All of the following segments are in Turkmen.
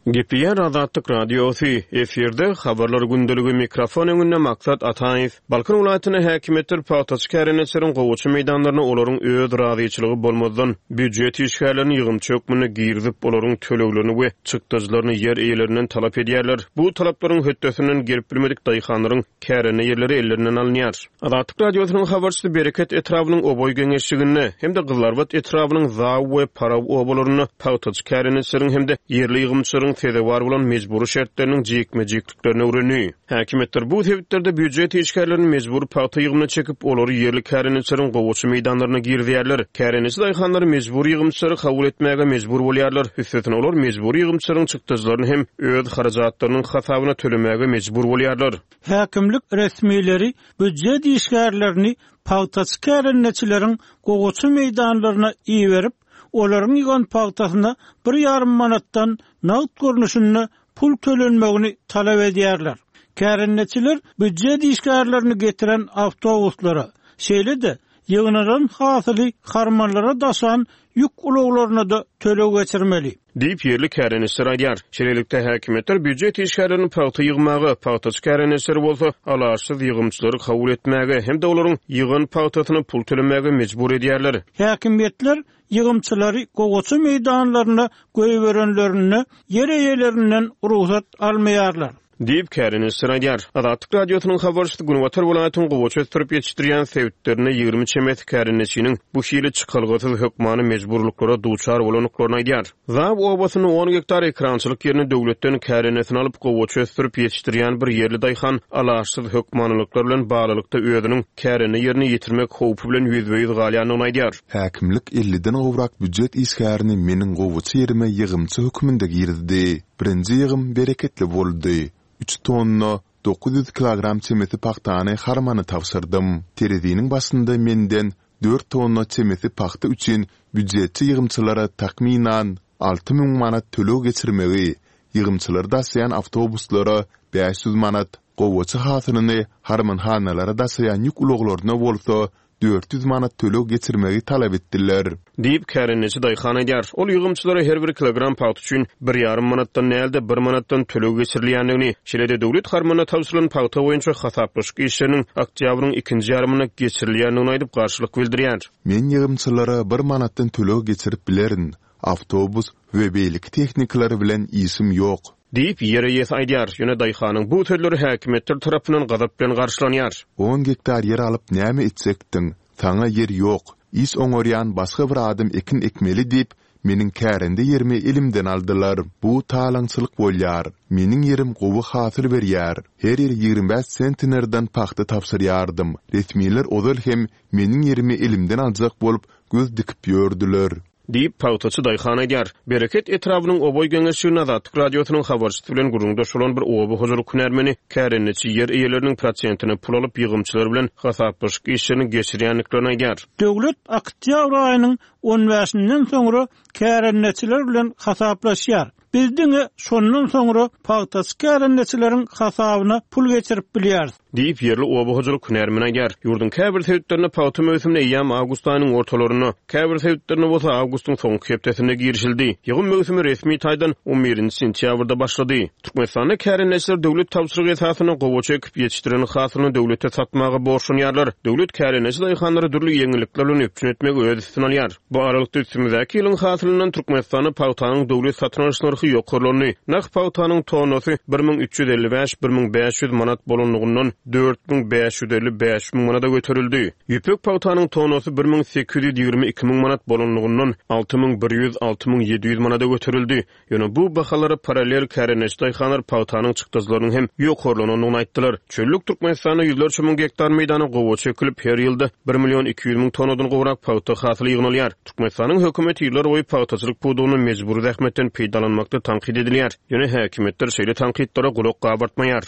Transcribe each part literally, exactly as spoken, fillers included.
Gepleýär Azatlyk Radiosy, efirde Habarlar gündeligi, mikrofon öňünde Maksat Ataýew. Balkan welaýatynda häkimiýetler pagtaçy kärendeçileriň gowaça meýdanlaryna olaryň öz razyçylygy bolmazdan býujet işgärlerini ýygymçy hökmünde girizip, olaryň töleglerini we çykdajylaryny ýer eýelerinden talap edýärler. Bu talaplaryň hötdesinden gelip bilmedik daýhanlaryň kärende ýerleri ellerinden alynýar. Azatlyk Radiosynyň habarçysy Bereket etrabynyň Oboý geňeşliginde hem-de Gyzylarbat etrabynyň Zaw we Paraw obalarynda pagtaçy kärendeçileriň hem-de ýerli ýygymçylaryň sezewar bolan mejbury şertleriniň jikme-jikliklerini öwrendi. Häkimiýetler bu sebitlerde býujet işgärlerini mejbury pagta ýygymyna çekip, olary ýerli kärendeçileriň gowaça meýdanlaryna girizýärler. Kärendeçi daýhanlar mejbury ýygymçylary kabul etmäge mejbur bolýarlar. Üstesine olar mejbury ýygymçylaryň çykdajylaryny hem öz harajatlarynyň hasabyna tölemäge mejbur bolýarlar. Häkimlik resmileri býujet işgärlerini pagtaçy kärendeçileriň gowaça meýdanlaryna iberip, olaryň ýygan pagtasyna bir ýarym manatdan nagt görnüşinde pul tölenmegini talap edýärler. Kärendeçiler býujet işgärlerini getiren awtobuslara, şeýle-de ýygnalan hasyly harmanlara daşan ýük ulaglaryna-da töleg geçirmeli. Diýip, ýerli kärendeçiler aýdýar. Şeýlelikde, häkimiýetler býujet işgärlerini pagta ýygmaga, pagtaçy kärendeçileri bolsa alaçsyz ýygymçylary kabul etmäge hem-de olaryň ýygan pagtasyna pul tölemäge mejbur edýärler. Häkimiýetler ýygymçylary gowaça meýdanlaryna goýberenlerinde ýer eýelerinden rugsat almaýarlar. Diýip, kärendeçiler aýdýar. Azatlyk Radiosynyň habarçysy Günbatar welaýatyň gowaça ösdürip ýetişdirýän sebitlerinde ýigrimi çemesi kärendeçiniň bu hili çykalgasyz hökmany mejburlyklara duçar bolandyklaryny aýdýar. Zaw obasynda on gektar ekrançylyk ýerini döwletden kärendeçini alyp gowaça ösdürip ýetişdirýän bir ýerli daýhan alaçsyz hökmanylyklar bilen baglylykda özüniň kärende ýerini ýitirmek howpy bilen ýüzbe-ýüz galýandygyny aýdýar. Häkimlik elliden gowrak býujet işgärini meniň gowaça ýerime ýygymçy hökmünde girizdi. Birinji ýygym bereketli boldy. Üç tonna dokuz ýüz kilogram çemesi pagtany harmana tabşyrdym. Tereziniň başynda menden dört tonna çemesi pagta üçin býujetçi ýygymçylara takmynan alty müň manat töleg geçirmegi, ýygymçylary daşaýan awtobuslara bäş ýüz manat, gowaça hasylyny harmanhanalara daşaýan ýük ulaglaryna bolsa dört ýüz manat töleg geçirmegi talap etdiler. Diýip, kärendeçi daýhan aýdýar. Ol ýygymçylara her bir kilogram pagta üçin bir ýarym manatdan däl-de bir manatdan töleg geçirilýändigini, şeýle-de döwlet harmanyna tabşyrylan pagta boýunça hasaplaşyk işleriniň oktýabryň ikinji ýarymynda geçirilýändigini aýdyp garşylyk bildirýär. Men ýygymçylara bir manatdan töleg geçirip bilerin. Awtobus we beýleki tehnikalar bilen işim ýok. Diýip, ýer eýesi aýdýar. Ýöne daýhanyň bu sözleri häkimiýetler tarapyndan gazap bilen garşylanýar. On gektar ýer alyp näme etjekdiň? Saňa ýer ýok. Iş oňarýan başga bir adam ekin ekmeli diýip, meniň kärende ýerimi elimden aldylar. Bu talaňçylyk bolýar. Meniň ýerim gowy hasyl berýär. Her ýyl ýigrimi bäş sentnerden pagta tabşyrýardym. Resmiler ozal hem meniň ýerimi elimden aljak bolup göz dikip ýördüler. Diýip, pagtaçy daýhan aýdýar. Bereket etrabynyň Oboý geňeşliginde Azatlyk Radiosynyň habarçysy bilen gürrüňdeş bolan bir oba hojalyk hünärmeni kärendeçi ýer eýeleriniň prosentine pul alyp ýygymçylar bilen hasaplaşyk işlerini geçirýändiklerini aýdýar. Döwlet oktýabr aýynyň on bäşinden soňra kärendeçiler bilen hasaplaşýar. Biz diňe şondan soňra pagtaçy kärendeçileriň hasabyna pul geçirip bilýäris. Diýip, ýerli oba hojalyk hünärmeni aýdýar. Ýurduň käbir sebitlerinde pagta möwsümine eýýäm awgust aýynyň ortalarynda, käbir sebitlerinde bolsa awgustyň soňky hepdesinde girişildi. Ýygym möwsümi resmi taýdan on birinji sentýabrda başlady. Türkmenistanda kärendeçiler döwlet tabşyrygy esasynda gowaça ekip ýetişdiren hasylyny döwlete satmaga borçlanýarlar. Döwlet kärendeçi daýhanlary dürli ýeňillikler bilen üpjün etmegi öz üstüne alýar. Bu aralykda üstümizdäki ýylyň hasylyndan Türkmenistanda pagtanyň döwlet satyn alyş nyrhy ýokarlandy. Nah pagtanyň tonnasy bir müň üç ýüz elli bäş, bir müň bäş ýüz manat bolanlygyndan dört müň bäş ýüz elli bäş müň manada göterildi. Ýüpek pagtanyň tonnasy bir müň sekiz ýüz ýigrimi iki müň manat bolanlygyndan alty müň bir ýüz, alty müň ýedi ýüz manada göterildi. Ýöne bu bahalara paralel kärendeçi daýhanlar pagtanyň çykdajylarynyň hem ýokarlanandygyny aýtdylar. Çöllük Türkmenistanda ýüzlerçe müň gektar meýdana gowaça ekilip, her ýylda bir million iki ýüz müň tonnadan gowrak pagta hasyly ýygnalýar. Türkmenistanyň hökümeti ýyllar boýy pagtaçylyk pudagyny mejbury zähmetden peýdalanmakda tankyt edilýär. Ýöne häkimiýetler şeýle tankytlara gulak gabartmaýar.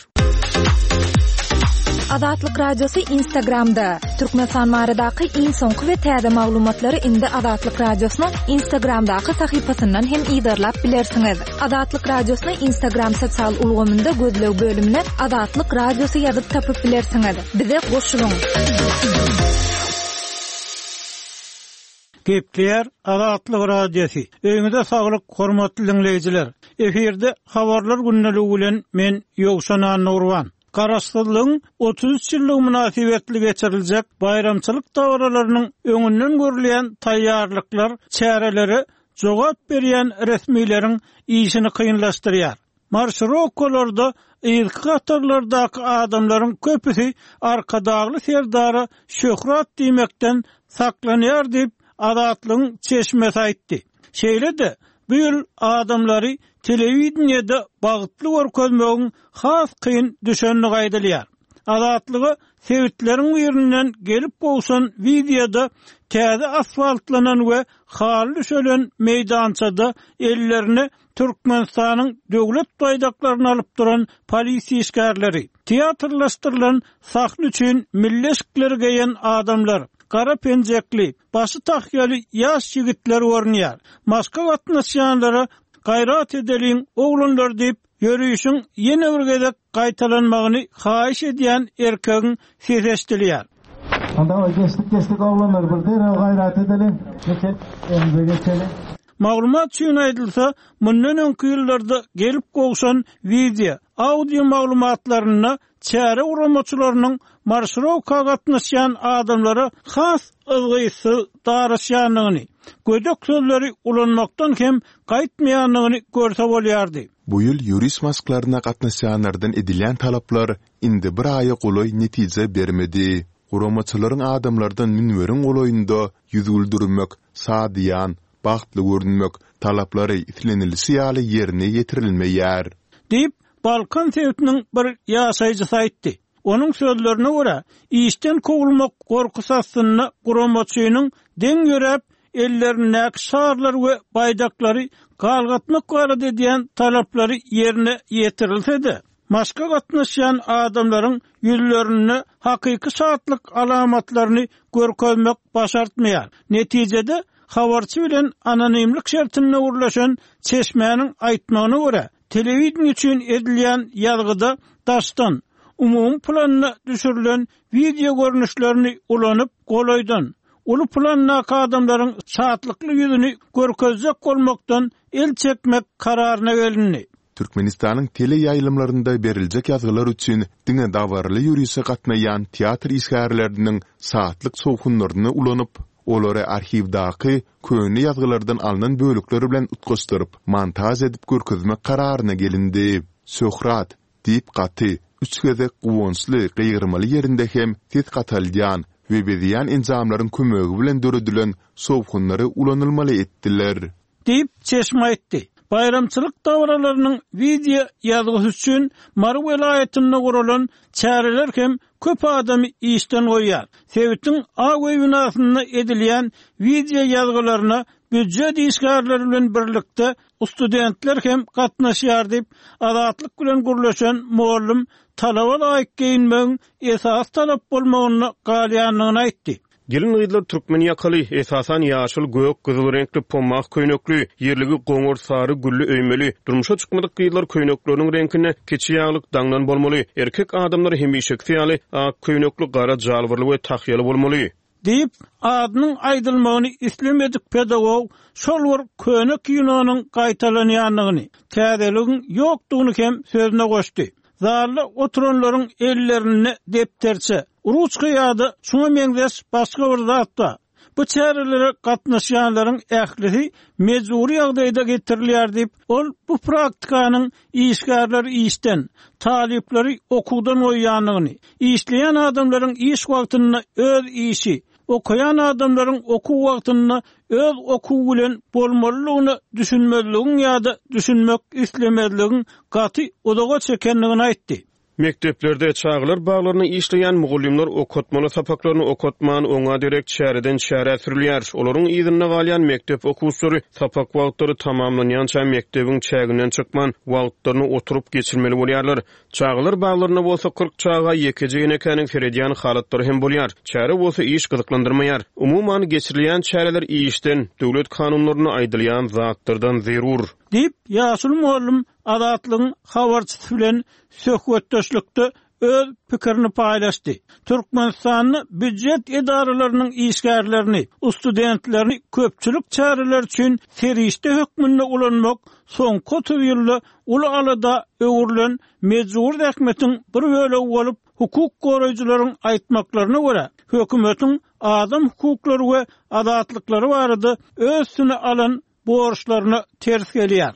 Azatlyk Radiosy Instagramda. Türkmenistan baradaky iň soňky we täze maglumatlary indi Azatlyk Radiosynyň Instagramdaky sahypasyndan hem yzarlap bilersiňiz. Azatlyk Radiosyny Instagram sosial ulgamynda gözleg bölümine Azatlyk Radiosy ýazyp tapyp bilersiňiz. Bize goşulyň. Gepleýär Azatlyk Radiosy. Öýüňize saglyk, hormatly diňleýjiler. Efirde habarlar gündeligi bilen men Ýowşan Annagurban. Garaşsyzlygyň otuz üç ýyllygy mynasybetli geçiriljek baýramçylyk dabaralarynyň öňünden görülýän taýýarlyklar çärelere jogap berýän resmileriň işini kynlaşdyrýar. Marşirowkalarda yzky hatarlardaky adamlaryň köpüsi Arkadagly Serdara şöhrat diýmekden saklanýar diýip, Azatlygyň çeşmesi aýtdy. Şeýle-de, bu ýyl adamlary telewideniýede bagtly görkezmegiň has kyn düşendigi aýdylýar. Azatlyga sebitleriň birinden gelip gowşan wideoda täze asfaltlanan we haly düşelen meýdançada ellerine Türkmenistanyň döwlet baýdaklaryny alyp duran polisiýa işgärleri, teatrlaşdyrylan sahna üçin milli eşikleri geýen adamlar, gara penjekli, başy tahýaly ýaş ýigitler görünýär. Maşka gatnaşýanlara gaýrat edeliň, oglanlar diýip, ýörişiň ýene bir gezek gaýtalanmagyny haýyş edýän erkegiň sesi eşidilýär. Onda geçdik geçdik oglanlar bir derrew gaýrat edeliň. Geçelim, öňümize geçeliň. Maglumat üçin aýdylsa, mundan öňki ýyllarda gelip gowşan wideo, audio maglumatlarynda çäre guramaçylarynyň marşirowka gatnaşýan adamlara has yzgytsyz daraşýandygyny, gödek sözleri ulanmakdan hem gaýtmaýandygyny görse bolýardy. Bu ýyl ýöriş maşklaryna gatnaşýanlardan edilýän talaplar indi bir aýa golaý netije bermedi. Guramaçylaryň adamlardan münberiň golaýynda ýüz güldürmek, şadyýan, bagtly görünmek talaplary islenilişi ýaly ýerine ýetirilmeýär. Diýip, Balkan sebitiniň bir ýaşaýjysy aýtdy. Onuň sözlerine görä, işden kowulmak gorkusy astynda guramaçynyň deň ýöräp, ellerindäki şarlar we baýdaklary galgatmak barada edýän talaplary ýerine ýetirilse-de, maşka gatnaşýan adamlaryň ýüzlerinde hakyky şatlyk alamatlaryny görkezmek başartmaýar. Netijede, habarçy bilen anonimlik şertinde gürleşen çeşmäniň aýtmagyna görä, telewideniýe üçin edilýän ýazgyda daşdan, umumy planda düşürilen wideo görnüşlerini ulanyp, golaýdan, uly plandaky adamlaryň şatlykly ýüzüni görkezjek bolmakdan el çekmek kararyna gelindi. Türkmenistanyň teleýaýlymlarynda beriljek ýazgylar üçin diňe dabaraly ýörişe gatnaýan teatr işgärleriniň şatlyk şowhunlaryny ulanyp, olary arhiwdaky köne ýazgylardan alnan bölekler bilen utgaşdyryp, montaž edip görkezmek kararyna gelindi. Şöhrat! diýip gaty, üç gezek guwançly gygyrmaly ýerinde hem ses gataldýan we bezeýän enjamlaryň kömegi bilen döredilen şowhunlary ulanylmaly etdiler. Diýip, çeşme aýtdy. Baýramçylyk dabaralarynyň wideo ýazgysy üçin Mary welaýatynda guralan çäreler hem köp adamy işden goýýar. Sebitiň Ak öý binasynda edilýän wideo ýazgylaryna býujet işgärleri bilen birlikde studentler hem gatnaşýar diýip, Azatlyk bilen gürleşen mugallym talaba laýyk geýinmegiň esasy talap bolmagynda galýandygyny aýtdy. Gelin-gyzlar türkmen ýakaly, esasan ýaşyl, gök, gyzyl reňkli pomah köýnekli, ýerligi goňur, sary, gülli öýmeli. Durmuşa çykmadyk gyzlar köýnekleriniň reňkinde kiçi ýaglyk daňdan bolmaly. Erkek adamlar hemişekisi ýaly ak köýnekli, gara jalbarly we tahýaly bolmaly. Diýip, adynyň aýdylmagyny islemedik pedagog şol bir köne kinonyň gaýtalanýandygyny, täzeligiň ýokdugyny hem sözüne goşdy. Zalda oturanlaryň ellerinde depderçe, ruçka ýa-da şuňa meňzeş başga bir zat bar. Bu çärelere gatnaşýanlaryň ählisi mejbury ýagdaýda getirilýär diýip, ol bu praktikanyň işgärleri işden, talyplary okuwdan goýýandygyny, işleýän adamlaryň iş wagtynda öz işi, okaýan adamlaryň okuw wagtynda öz okuwy bilen bolmalydygyna düşünmezligiň ýa-da düşünmek islemezligiň gaty uzaga çekendigini aýtdy. Mekdeplerde, çagalar baglarynda işleýän mugallymlar okatmaly sapaklaryny okatman, oňa derek çäreden çärä sürülýär. Olaryň yzynda galýan mekdep okuwçylary sapak wagtlary tamamlanýança mekdebiň çäginden çykman, wagtlaryny oturyp geçirmeli bolýarlar. Çagalar baglarynda bolsa kyrk çaga ýekeje enekäniň seredýän halatlary hem bolýar. Çäre bolsa iş gyzyklandyrmaýar. Umuman, geçirilýän çäreler işden, döwlet kanunlarynda aýdylýan zatlardan zerur. Diýip, ýaşuly mugallym Azatlygyň habarçysy bilen söhbetdeşlikde öz pikirini paýlaşdy. Türkmenistanda býujet edaralarynyň işgärlerini, studentlerini köpçülik çäreler üçin serişde hökmünde ulanmak soňky otuz ýylda uly alada öwrülen mejbur zähmetiň bir bölegi bolup, hukuk goraýjylaryň aýtmaklaryna görä, hökümetiň adam hukuklary we azatlyklary barada öz üstüne alan borçlaryna ters gelýär.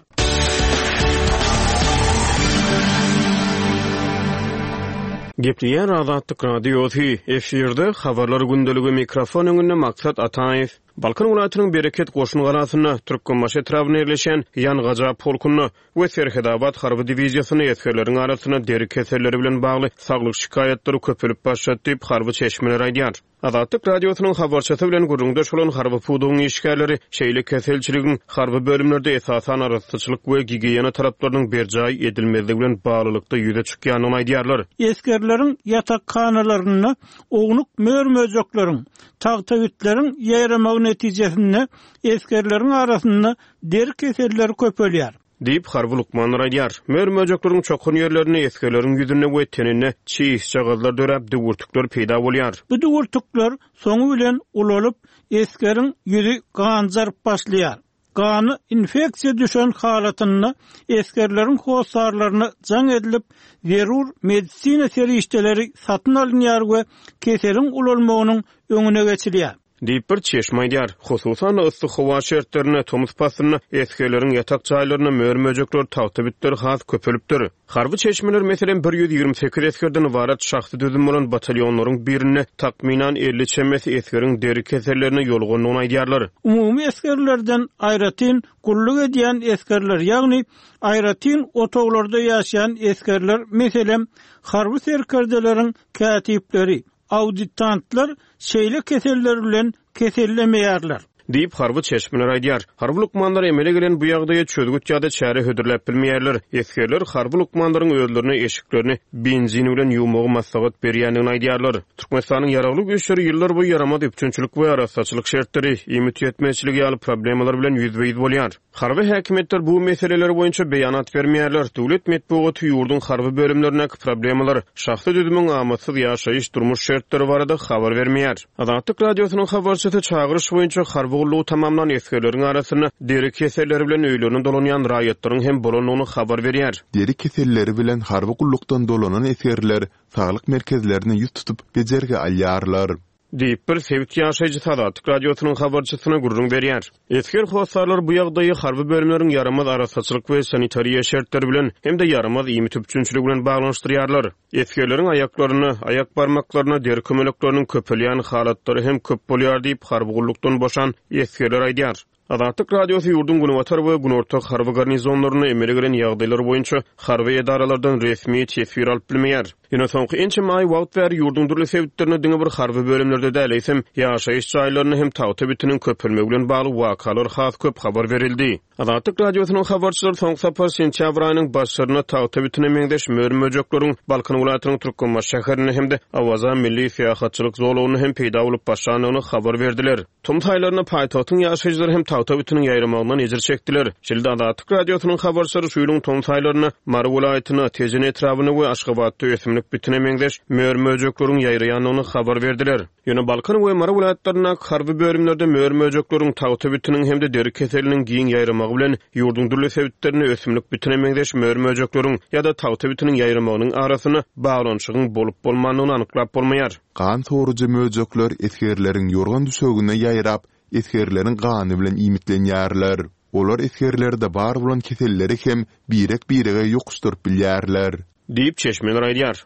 Gepleýär Azatlyk Radiosy, efirde Habarlar gündeligi, mikrofon öňünde Maksat Ataýew. Balkan welaýatynyň Bereket goşun galasynda, Türkmenbaşy etrabynda ýerleşýän Ýangaja polkunda we Serhetabat harby diwiziýasynda esgerleriň arasynda deri keselleri bilen bagly saglyk şikaýatlary köpelip başlady diýip, harby çeşmeler aýdýar. Azatlyk Radiosynyň habarçysy bilen gürrüňdeş bolan harby pudagyň işgärleri şeýle keselçiligiň harby bölümlerde esasan arassaçylyk we gigiýena talaplarynyň berjaý edilmezligi bilen baglylykda ýüze çykýandygyny aýdýarlar. Esgerleriň ýatakhanalarynda ownuk mör-möjekleriň, tagtabitleriň ýaýramagy netijesinde esgerleriň arasynda deri keselleri köpelýär. Diýip, harby lukmanlar aýdýar. Mör-möjekleriň çokan ýerlerinde esgerleriň ýüzünde we teninde çişjagazlar döräp, düwürtikler peýda bolýar. Bu düwürtikler soňy bilen ulalyp, esgeriň ýüzi ganjaryp başlaýar. Gany infeksiýa düşen halatynda esgerleriň hossarlaryna jaň edilip, zerur medisina serişdeleri satyn alynýar we keseliň ulalmagynyň öňüne geçilýär. Diýip, bir çeşme aýdýar. Hususan-da, yssy howa şertlerinde, tomus paslynda esgerleriň ýatak jaýlarynda mör-möjekler, tagta bitler has köpelipdir. Harby çeşmeler, meselem, bir ýüz ýigrimi sekiz esgerden ybarat şahsy düzüm bolan batalýonlaryň birinde takmynan elli çemesi esgeriň deri kesellerine ýolugandygyny aýdýarlar. Umumy esgerlerden aýratyn gulluk edýän esgerler, ýagny aýratyn otaglarda ýaşaýan esgerler, meselem, harby serkerdeleriň kätipleri, auditantlar şeýle keseller bilen kesellemeýärler. Diýip, harby çeşmeler aýdýar. Harby lukmanlar emele gelen bu ýagdaýa çözgüt ýa-da çäre hödürläp bilmeýärler. Esgerler harby lukmanlaryň özlerine eşiklerini benzin bilen ýuwmagy maslahat berýändigini aýdýarlar. Türkmenistanyň Ýaragly Güýçleri ýyllarboýy ýaramaz üpjünçilik we arassaçylyk şertleri, iýmit ýetmezçiligi ýaly problemalar bilen ýüzbe-ýüz bolýar. Harby häkimiýetler bu meseleler boýunça beýanat bermeýärler. Döwlet metbugaty ýurduň harby bölümlerindäki problemalar, şahsy düzümiň amatsyz ýaşaýyş-durmuş şertleri barada habar bermeýär. Azatlyk Radiosynyň habarçysy çagyryş boýunça harby gullugy tamamlan esgerleriň arasynda deri keselleri bilen öýlerine dolanýan raýatlaryň hem bolandygyny habar berýär. Deri keselleri bilen harby gullukdan dolanan esgerler saglyk merkezlerine ýüz tutup bejergi alýarlar. Diýip, bir sebit ýaşaýjysy Azatlyk Radiosynyň habarçysyna gürrüň berýär. Esger hossarlar bu ýagdaýy harby bölümleriň ýaramaz arassaçylyk we sanitariýa şertleri bilen hem-de ýaramaz iýmit üpjünçiligi bilen baglanyşdyrýarlar. Esgerleriň aýaklaryna, aýak barmaklaryna deri kömelekleriniň köpelýän halatlary hem köp bolýar diýip, harby gullukdan boşan esgerler aýdýar. Azatlyk Radiosy ýurduň günbatar we günorta harby garnizonlarynda emele gelen ýagdaýlar boýunça harby edaralardan resmi teswir alyp bilmeýär. Ýöne soňky ençeme aý wagt bäri ýurduň dürli sebitlerinde diňe bir harby bölümlerde däl, eýsem ýaşaýyş jaýlarynda hem tagta bitiniň köpelmegi bilen bagly wakalar has köp habar berildi. Azatlyk Radiosynyň habarçylary soňky sapar sentýabr aýynyň başlarynda tagta bitine meňzeş mör-möjekleriň Balkan welaýatynyň Türkmenbaşy şäherinde hem-de Awaza milli syýahatçylyk zolagynda hem peýda bolup başlandygyny habar berdiler. Tomus aýlarynda paýtagtyň ýaşaýjylary hem tagta bitiniň ýaýramagyndan ejir çekdiler. Şeýle-de Azatlyk Radiosynyň habarçylary şu ýylyň tomus aýlarynda Mary welaýatynda, Tejen etrabynda we Aşgabatda ösümlik bitine meňzeş mör-möjekleriň ýaýraýandygyny habar berdiler. Ýöne Balkan we Mary welaýatlaryndaky harby bölümlerde mör-möjekleriň, tagta bitiniň hem-de deri keseliniň giň ýaýramagy bilen ýurduň dürli sebitlerinde ösümlik bitine meňzeş mör-möjekleriň ýa-da tagta bitiniň ýaýramagynyň arasynda baglanyşygyň bolup-bolmandygyny anyklap bolmaýar. Gan sorujy möjekler esgerleriň ýorgan düşegine ýaýrap, esgerleriň gany bilen iýmitlenýärler. Olar esgerlerde bar bolan keselleri hem birek-birege ýokuşdyryp bilýärler. Diýip, çeşmeler aýdýar.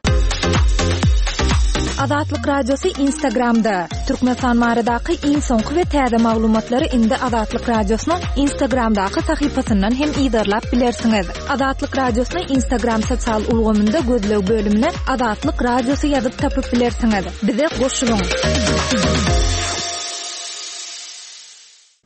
Azatlyk Radiosy Instagramda. Türkmenistan baradaky iň soňky we täze maglumatlary indi Azatlyk Radiosynyň Instagramdaky sahypasyndan hem yzarlap bilersiňiz. Azatlyk Radiosyny Instagram sosial ulgamynda gözleg bölümine Azatlyk Radiosy ýazyp tapyp bilersiňiz. Bize goşulyň.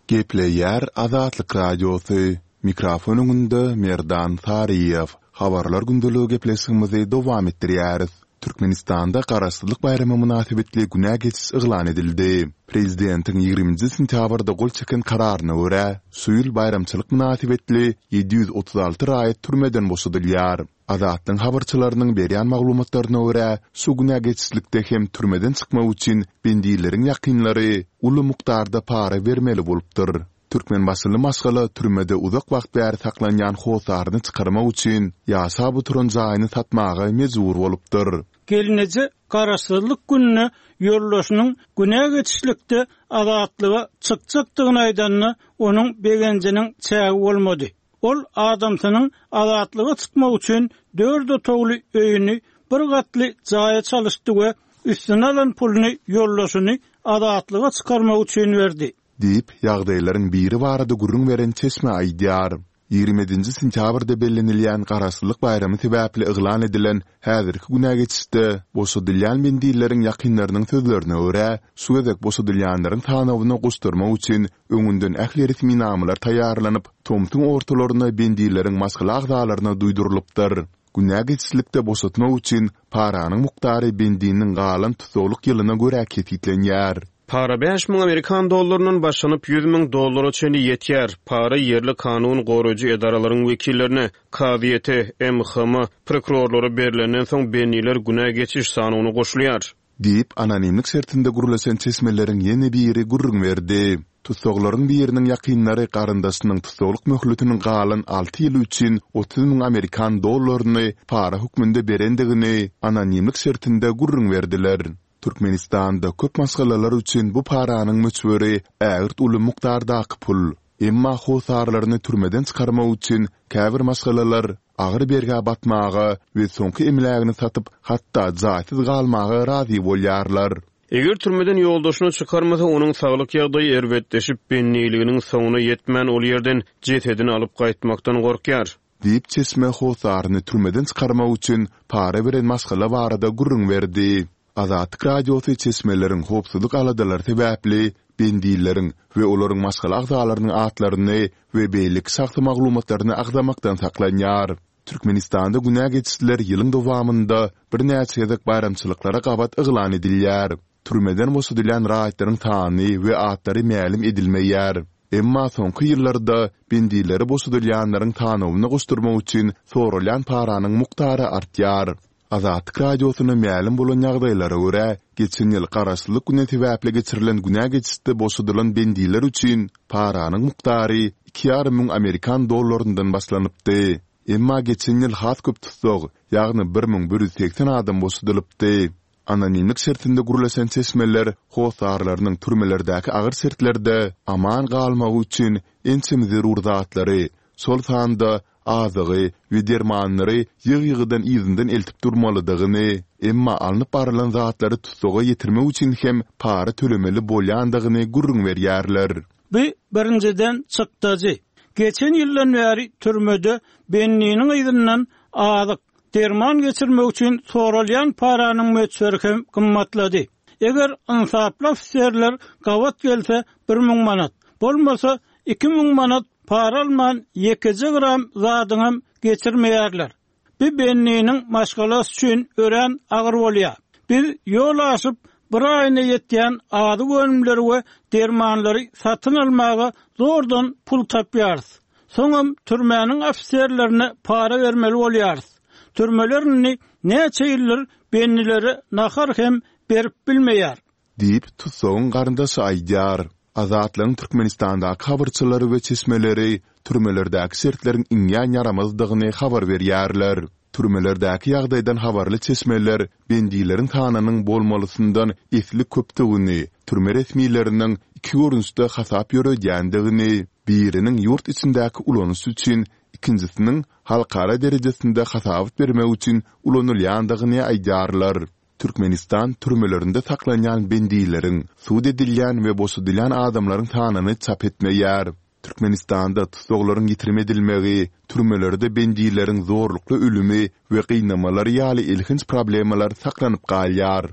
Gepleýär Azatlyk Radiosy. Mikrofon öňünde Merdan Saryýew. Habarlar gündeligi gepleşigimizi dowam etdirýäris. Türkmenistanda Garaşsyzlyk baýramy mynasybetli günä geçiş yglan edildi. Prezidentiň ýigriminji sentýabrda gol çeken kararyna görä, şu ýyl baýramçylyk mynasybetli ýedi ýüz otuz alty raýat türmeden boşadylýar. Azatlygyň habarçylarynyň berýän maglumatlaryna görä, şu günä geçişlikde hem türmeden çykmak üçin bendileriň ýakynlary uly mukdarda para bermeli bolupdyr. Türkmenbaşyly maşgala türmede uzak wagt bäri saklanýan hossaryny çykarmak üçin ýaşap oturan jaýyny satmaga mejbur bolupdyr. Gelneje Garaşsyzlyk gününe ýoldaşynyň günä geçişlikde azatlyga çykjakdygyny aýdanda, onuň begenjiniň çägi bolmady. Ol adamsynyň azatlyga çykmak üçin dört otagly öýüni bir gatly jaýa çalyşdy we üstüne alan puluny ýoldaşyny azatlyga çykarmak üçin berdi. Diýip, ýagdaýlaryň biri barada gürrüň beren çeşme aýdýar. Ýigrimi ýedinji sentýabrda bellenilýän Garaşsyzlyk baýramy sebäpli yglan edilen häzirki günä geçişde boşadylýan bendileriň ýakynlarynyň sözlerine görä, şu gezek boşadylýanlaryň sanawyna goşdurmak üçin öňünden ähli resminamalar taýýarlanyp, tomsuň ortalaryna bendileriň maşgala agzalaryna duýdurylypdyr. Günä geçişlikde boşatmak üçin paranyň mukdary bendiniň galan tussaglyk ýylyna görä kesgitlenýär. Para bäş müň amerikan dollaryndan başlanyp, ýüz müň dollara çenli ýetýär. Para ýerli kanun goraýjy edaralaryň wekillerine, kazyýete, M H M, prokurorlara berlenden soň bendiler günä geçiş sanawyna goşulýar. Diýip, anonimlik şertinde gürleşen çeşmeleriň ýene biri gürrüň berdi. Tussaglaryň biriniň ýakynlary garyndaşynyň tussaglyk möhletiniň galan alty ýyly üçin otuz müň amerikan dollaryny para hökmünde berendigini anonimlik şertinde gürrüň berdiler. Türkmenistanda köp maşgalalar üçin bu paranyň möçberi ägirt uly mukdardaky pul. Emma hossarlaryny türmeden çykarmak üçin käbir maşgalalar agyr bergä batmaga we soňky emlägini satyp, hatda jaýsyz galmaga razy bolýarlar. Eger türmeden ýoldaşyny çykarmasa, onuň saglyk ýagdaýy erbetleşip, bendiliginiň soňuna ýetmän ol ýerden jesedini alyp gaýtmakdan gorkýar. Diýip, çeşme hossaryny türmeden çykarmak üçin para beren maşgala barada gürrüň berdi. Azatlyk Radiosy çeşmeleriň howpsuzlyk aladalary sebäpli bendileriň we olaryň maşgala agzalarynyň atlaryny we beýleki şahsy maglumatlaryny agzamakdan saklanýar. Türkmenistanda günä geçişler ýylyň dowamynda birnäçe gezek baýramçylyklara gabat yglan edilýär. Türmeden boşadylýan raýatlaryň sany we atlary mälim edilmeýär. Emma soňky ýyllarda bendileri boşadylýanlaryň sanawyna goşdurmak üçin soralýan paranyň mukdary artýar. Azatlyk Radiosyna mälim bolan ýagdaýlara görä, geçen ýyl Garaşsyzlyk güni sebäpli geçirilen günä geçişde boşadylan bendiler üçin paranyň mukdary iki ýarym müň amerikan dollaryndan başlanypdy. Emma geçen ýyl has köp tussag, ýagny bir müň bir ýüz segsen adam boşadylypdy. Anonimlik şertinde gürleşen çeşmeler hossarlarynyň türmelerdäki agyr şertlerde aman galmagy üçin ençeme zerur zatlary, şol sanda azygy we dermanlary ýygy-ýygydan yzyndan eltip durmalydygyny, emma alnyp barylan zatlary tussaga ýetirmek üçin hem para tölemeli bolýandygyny gürrüň berýärler. Bu birinjiden çykdajy. Geçen ýyldan bäri türmede bendiniň yzyndan azyk, derman geçirmek üçin soralýan paranyň möçberi hem gymmatlady. Eger ynsaply ofiserler gabat gelse bir müň manat, bolmasa iki müň manat para alman ýekeje gram zadyňam geçirmeýärler. Bu bendiniň maşgalasy üçin örän agyr bolýar. Biz ýol aşyp bir aýyna ýetýän azyk önümleri we dermanlary satyn almaga zordan pul tapýarys. Soňam türmäniň ofiserlerine para bermeli bolýarys. Türmeler indi näçe ýyldyr bendilere nahar hem berip bilmeýär. Diýip, tussagyň garyndaşy aýdýar. Azatlygyň Türkmenistandaky habarçylary we çeşmeleri türmelerdäki şertleriň iňňän ýaramazdygyny habar berýärler. Türmelerdäki ýagdaýdan habarly çeşmeler bendileriň sanynyň bolmalysyndan esli köpdügini, türme resmileriniň iki görnüşde hasap ýöredýändigini, biriniň ýurt içindäki ulanyş üçin, ikinjisiniň halkara derejesinde hasabat bermek üçin ulanylýandygyny aýdýarlar. Türkmenistan türmelerinde saklanýan bendileriň, sud edilýän we boşadylýan adamlaryň sanyny çap etmeýär. Türkmenistanda tussaglaryň ýitirim edilmegi, türmelerde bendileriň zorlukly ölümi we gynamalary ýaly elhenç problemalar saklanyp galýar.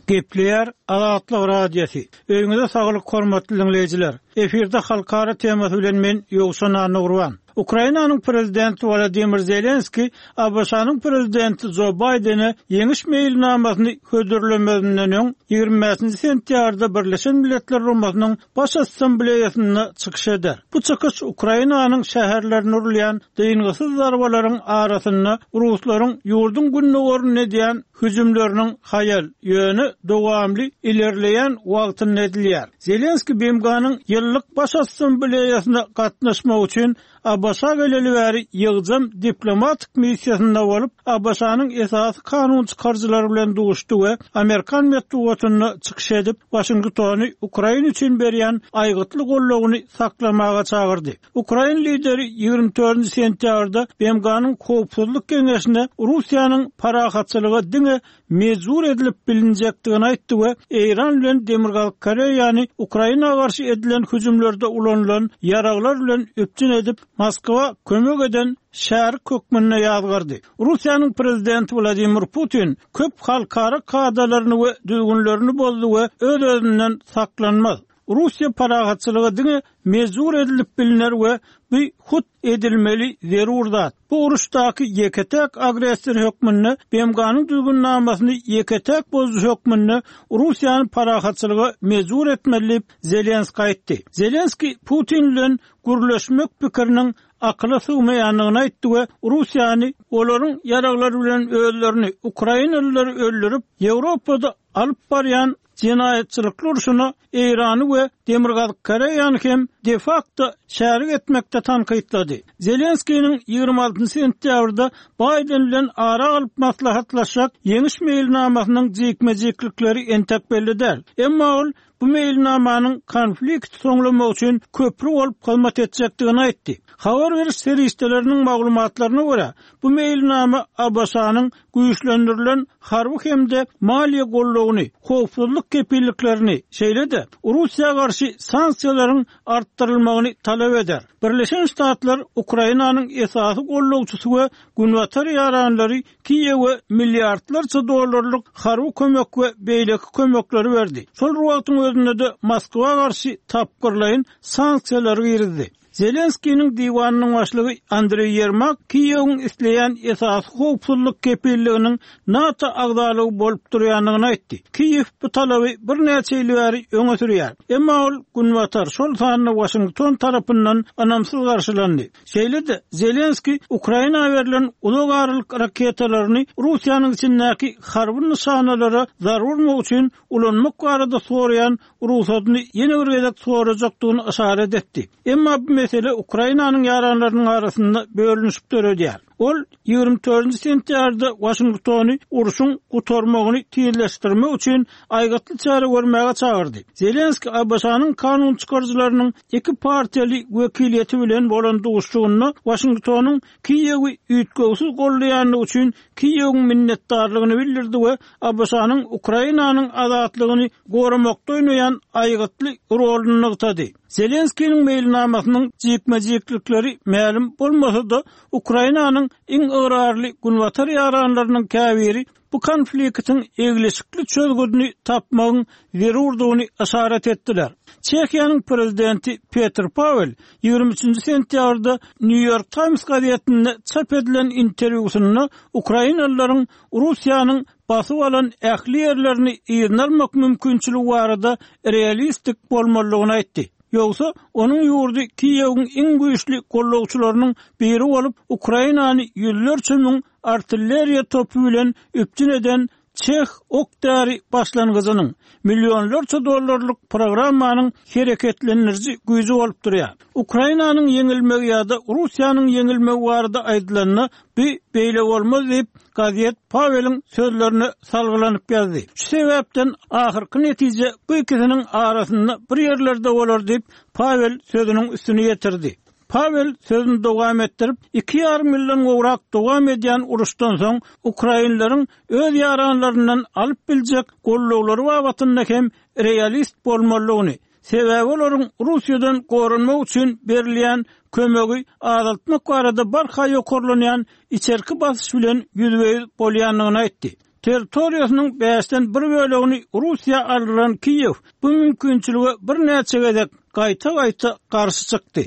Gepleýär Azatlyk Radiosy. Öýüňize saglyk hormatly diňleýjiler. Efirde halkara temasy bilen men Ýowşan Annagurban. Ukrainanyň prezidenti Wladimir Zelenski A B Ş-nyň prezidenti Jo Baýdene ýeňiş meýilnamasyny hödürlemezinden öň ýigrimi bäşinji sentýabrda Birleşen Milletler Guramasynyň Baş Assambleýasynda çykyş eder. Bu çykyş Ukrainanyň şäherlerine urulýan dyngysyz zarbalaryň arasynda ruslaryň ýurduň gündogarynda edýän hüjümleriniň haýal, ýöne dowamly ilerleýän wagtynda edilýär. Zelenski B M G-nyň ýyllyk Baş Assambleýasyna gatnaşmak üçin A B Ş geleli bäri ýygjam diplomatik missiýasynda bolup, A B Ş-nyň esasy kanun çykaryjylary bilen duşdy we Amerikan metbugatynda çykyş edip, Waşingtony Ukraina üçin berýän aýgytly goldawyny saklamaga çagyrdy. Ukrain lideri ýigrimi dördünji sentýabrda B M G-nyň Howpsuzlyk Geňeşine Russiýanyň parahatçylyga diňe mejbur edilip bilinjekdigini aýtdy we Eýran bilen Demirgazyk Koreýany Ukraina garşy edilen hüjümlerde ulanylan ýaraglar bilen üpjün edip, Moskwa kömek eden şärik hökmünde ýazgardy. Russiýanyň prezidenti Wladimir Putin köp halkara kadalaryny we düzgünlerini bozdy we öz-özünden saklanmaz. Russiýa parahatçylyga diňe mejbur edilip biliner we bu hut edilmeli zerur zat. Bu uruşdaky ýeke-täk agressor hökmünde B M G-nyň düzgünnamasyny ýeke-täk bozujy hökmünde Russiýany parahatçylyga mejbur etmeli diýip Zelenski aýtdy. Zelenski Putin bilen gürleşmek pikiriniň akyla sygmaýandygyny aýtdy we Russiýany olaryň ýaraglary bilen özlerini Ukrainalylary öldürip, Ýewropada alyp barýan jenaýatçylykly urşuna Eýrany we Demirgazyk Koreýany hem de facto şärik etmekde tankytlady. Zelenskiniň ýigrimi altynjy sentýabrda Baýden bilen ara alyp maslahatlaşjak ýeňiş meýilnamasynyň jikme-jiklikleri entek belli däl. Emma ol bu meýilnamanyň konflikt soňlamak üçin köprü bolup hyzmat etjekdigini aýtdy. Habar beriş serişdeleriniň maglumatlaryna görä, bu meýilnama A B Ş-nyň güýçlendirilen harby hem-de maliýe goldawyny, howpsuzlyk kepilliklerini, şeýle-de Russiýa garşy sanksiýalaryň artdyrylmagyny talap eder. Birleşen Ştatlar Ukrainanyň esasy goldawçysy we Günbatar ýaranlary Kiýewe milliardlarça dollarlyk harby kömek we beýleki kömekleri berdi. Şol wagtyň özünde-de Moskwa garşy tapgyrlaýyn sanksiýalary girizdi. Zelenskiniň diwanynyň başlygy Andreý Ýermak Kiýewiň isleýän esasy howpsuzlyk kepilliginiň NATO agzalygy bolup durýandygyny aýtdy. Kiýew bu talaby birnäçe ýyl bäri öňe sürýär. Emma ol Günbatar, şol sanda Waşington tarapyndan ynamsyz garşylandy. Şeýle-de Zelenski Ukraina berlen uzak aralyk raketalaryny Russiýanyň içindäki harby nyşanalara zarba urmak üçin ulanmak barada soraýan rugsadyny ýene bir gezek sorajakdygyny yşarat etdi. Emma bu mesele Ukrainanyň ýaranlarynyň arasynda bölünişik döredýär. Ol ýigrimi dördünji sentýabrda Waşingtony urşuň gutarmagyny tizleşdirmek üçin aýgytly çäre görmäge çagyrdy. Zelenski A B Ş-nyň kanun çykaryjylarynyň iki partiýaly wekiliýeti bilen bolan duşuşygynda Waşingtonyň Kiýewi üýtgewsiz goldaýandygy üçin Kiýewiň minnetdarlygyny bildirdi we A B Ş-nyň Ukrainanyň azatlygyny goramakda oýnaýan aýgytly roluny nygtady. Zelenskiniň meýilnamasynyň jikme-jiklikleri mälim bolmasa-da, Ukrainanyň iň ygrarly Günbatar ýaranlarynyň käbiri bu konfliktiň eglişikli çözgüdini tapmagyň zerurdygyny yşarat etdiler. Çehiýanyň prezidenti Petr Pavel ýigrimi üçünji sentýabrda New York Times gazetinde çap edilen interwýusynda Ukrainalylaryň Russiýanyň basyp alan ähli ýerlerini yzyna almak mümkinçiligi barada realistik bolmalydygyny aýtdy. Ýogsa onuň ýurdy Kiýewiň iň güýçli goldawçylarynyň biri bolup, Ukrainany ýüzlerçe müň artilleriýa topy bilen üpjün eden Çeh ok-däri başlangyjynyň millionlarça dollarlyk programmanyň hereketlendiriji güýji bolup durýar. Ukrainanyň ýeňilmegi ýa-da Russiýanyň ýeňilmegi barada aýdylanda, bu beýle bolmaz diýip, gazet Paweliň sözlerine salgylanyp ýazdy. Şu sebäpden ahyrky netije bu ikisiniň arasynda bir ýerlerde bolar diýip, Pawel sözüniň üstüni ýetirdi. Pawel sözüni dowam etdirip, iki ýarym ýyldan gowrak dowam edýän uruşdan soň ukrainleriň öz ýaranlaryndan alyp biljek goldawlary babatynda hem realist bolmalydygyny, sebäbi olaryň Russiýadan goranmak üçin berilýän kömegi azaltmak barada barha ýokarlanýan içerki basyş bilen ýüzbe-ýüz bolýandygyny aýtdy. Territoriýasynyň bäşden bir bölegini Russiýa aldyran Kiýew bu mümkinçilige birnäçe gezek gaýta-gaýta garşy çykdy.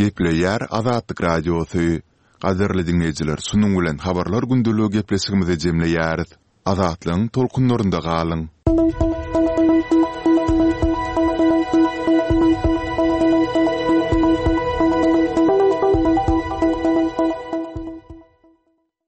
Gepleýär Azatlyk Radiosy. Gadyrly diňleýjiler, şunuň bilen Habarlar gündeligi gepleşigimizi jemleýäris. Azatlygyň tolkunlarynda galyň!